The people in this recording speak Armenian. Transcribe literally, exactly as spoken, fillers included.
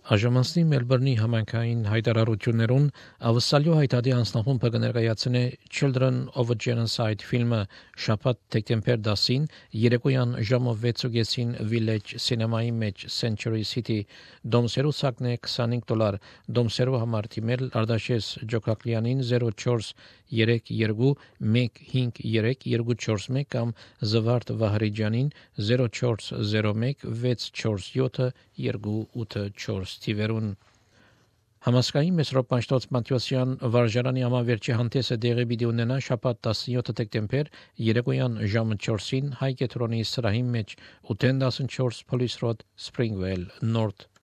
Աժամանսնի Մելբուրնի համայնքային հայտարարություններուն ավսալյո հայտարարի անձնախումբը կներկայացնե Children of a Genocide ֆիլմը շաբաթ դեկտեմբեր դասին երեկոյան ժամը վեցին Village Cinema-ի մեջ Century City դոմսերու սակնե քսանհինգ դոլար դոմսերու համար թիմել Արտաշես Ջոկակլյանին zero four three two one five three two four one կամ Զվարթ Վահրիջյանին zero four zero one six four seven two eight four Տիվերուն Համասկային Մեսրոպանշտոց Մատյոսյան վարժարանի ամավերջի հանդեսը դեղի պիտի ունենա շաբաթ տասնյոթ դեկտեմբեր երեկոյան ժամը չորսին հայ կետրոնի սրահի մեջ eight ten four Police Road Springvale North